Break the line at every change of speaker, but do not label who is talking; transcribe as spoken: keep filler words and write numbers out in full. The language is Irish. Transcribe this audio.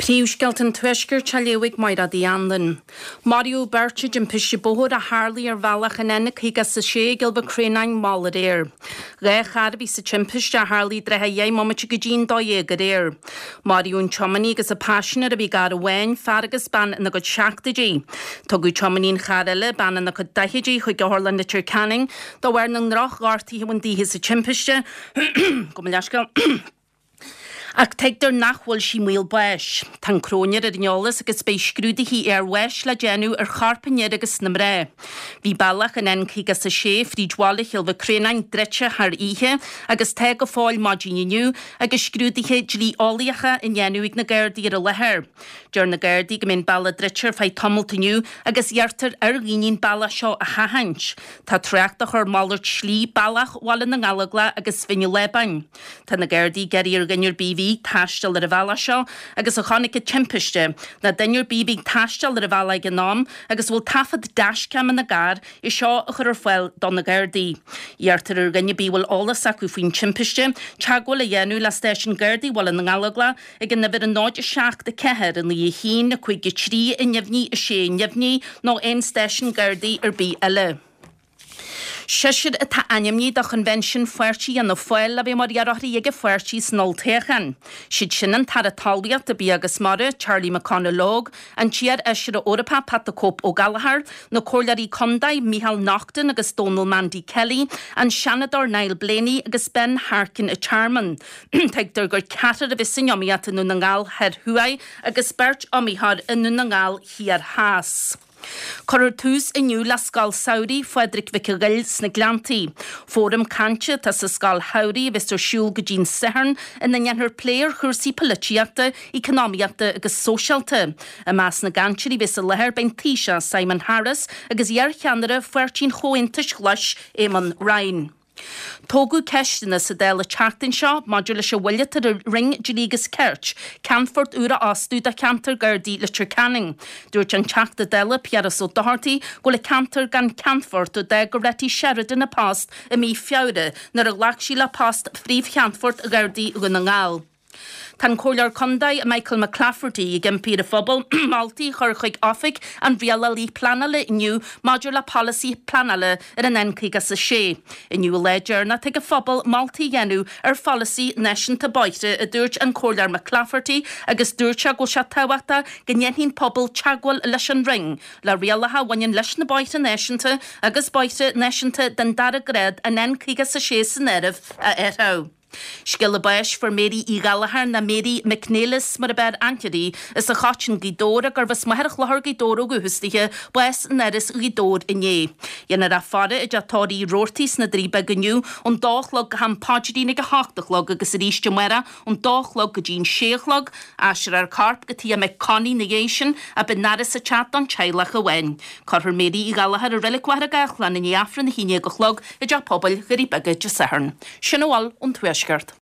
Príomhscéalta an Tuaiscirt á léamh ag Máire Uí Anluain. Maraíodh beirt i dtimpiste bóthair a tharlaigh ar bhealach an N caoga is a sé i gCill Mhic Réanáin mall aréir. Dhá charr a bhí sa timpiste a tharlaigh i dtrátha dheich mbomaite go dtí'n dó dhéag aréir. Maraíodh an tiománaí agus a paisinéir a bhí i gcarr amháin, fear agus bean ina gcuid seachtóidí. Tugadh tiománaí an chairr eile, bean ina cuid daichidí, chuig Otharlann Leitir Ceanainn de bharr na ndroch-ghortuithe a bhain daoithe sa timpiste. Gabh mo leithscéal. Ach tuigtear nach bhfuil sí i mbaol báis. Tá an cróinéir ar an eolas agus beidh scrúduithe iarbháis le déanamh ar chorp an fhir agus na mná. Bhí bealach an N caoga is a sé fríd bhaile Chill Mhic Réanáin druidte thar oíche agus tá go fóill maidin inniu agus scrúduithe dlí-eolaíocha á ndéanamh ag na Gardaí ar an láthair. Deir na Gardaí go mbeidh an bealach druidte ar feadh tamalt inniu agus iarrtar ar dhaoine an bealach seo a sheachaint. Tá trácht á chur malairt slí bealach Bhaile na nGallóglach agus Bhinn an Lábáin. Tá na Gardaí ag iarraidh ar dhuine ar bith a bhí ag taisteal ar an bhealach seo agus a chonaic an timpiste, nó duine ar bith a bhí ag taisteal ar an bhealach ag an am agus a bhfuil taifead dashcam ina gcarr, é seo a chur ar fáil do na Gardaí. Iarrtar ar dhuine ar bith a bhfuil eolas acu faoin timpiste, teagmháil a dhéanamh le stáisiún Gardaí Bhaile na nGallóglach ag an uimhir a náid a seacht a ceathair a naoi a haon a cúig a trí a neamhní a sé neamhní nó aon stáisiún Gardaí ar bith eile. Seisear atá ainmnithe do Choinbhinsiún Pháirtí Fhianna Fáil le bheith mar iarrthóirí ag an pháirtí san olltoghchán. Siad sin an tAire Talmhaíochta, Bia agus Mara, Charlie McConalogue, an t-iar-fheisire Eorpach Pat the Cope Ó Gallchóir, na Comhairleoirí Contae Micheál Naughton agus Donal Mandy Kelly, an Seanadóir Niall Blaney agus Ben Harkin an Tearmainn. Tuigtear gur ceathrar a bheas san iomaíocht i nDún na nGall Thoir Thuaidh agus beirt iomaitheoir i nDún na nGall Thiar Theas. Cuirfear tús inniu le Scoil Samhraidh Phádraig Mhic an Ghoill sna Gleanntaí. Fóram cainte atá sa scoil shamhraidh a bheas ar siúl go dtí'n Satharn ina ndéanfar plé ar chúrsaí polaitíochta, eacnamaíochta agus sóisialta. I measc na gcainteoirí a bheas i láthair beidh an Taoiseach Simon Harris agus iar-cheannaire Pháirtí an Chomhaontais Ghlais Eamon Ryan. Tógadh ceisteanna sa Dáil an tseachtain seo maidir leis an mhoill atá ar an Roinn Dlí agus Cirt ceannfort úr a fhostú do cheantar Gardaí Leitir Ceanainn. Dúirt an Teachta Dála Piaras Ó Dochartaigh go bhfuil an ceantar gan ceannfort ó d'fhág Goretti Sheridan a post i mí Feabhra nuair a ghlac sí le post Phríomh-Cheannfort Ghardaí Dhún na nGall. Tá an Comhairleoir Contae Michael McClafferty ag impí ar an phobal moltaí a chur chuig Oifig an Rialálaí Pleanála inniu maidir le polasaí pleanála ar an N caoga is a sé. Inniu an lá deireanach ag an phobal moltaí a dhéanamh ar pholasaí náisiúnta bóithre, a dúirt an Comhairleoir McClafferty agus dúirt sé go bhfuil sé tábhachtach go ndéanfaidh an pobal teagmháil leis an Roinn le rialacha a bhaineann leis na bóithre náisiúnta agus bóithre náisiúnta den dara grád an N caoga is a sé san áireamh a athrú. Scéala báis fuair Mary Uí Ghallchóir nó Mary McNeilis mar ab fhearr aithne uirthi, as an Choitín Gaoth Dobhair gurbh as Machaire Chlochair Gaoth Dobhair ó dhúchas dithe, bás in Áras Ghaoth Dobhair inné. Dhéanfar í a faire i dTeach Tórraimh Uí Robhartaigh sna Doirí Beaga inniu ón dó a chlog go ham paidrín ag a hocht a chlog agus arís amárach ón dó a chlog go dtí'n sé a chlog. Aistreofar a corp go tigh a mic Connie ina dhiaidh sin ach beidh an fhaire sa teach don teaghlach amháin. Cuirfear Mary Uí Ghallchóir i Reilig Mhachaire Gathlán i ndiaidh Aifreann a haon déag a chlog i dTeach Pobail Dhoirí Beaga Dé Sathairn. Sin a bhfuil ón Tuaisceart.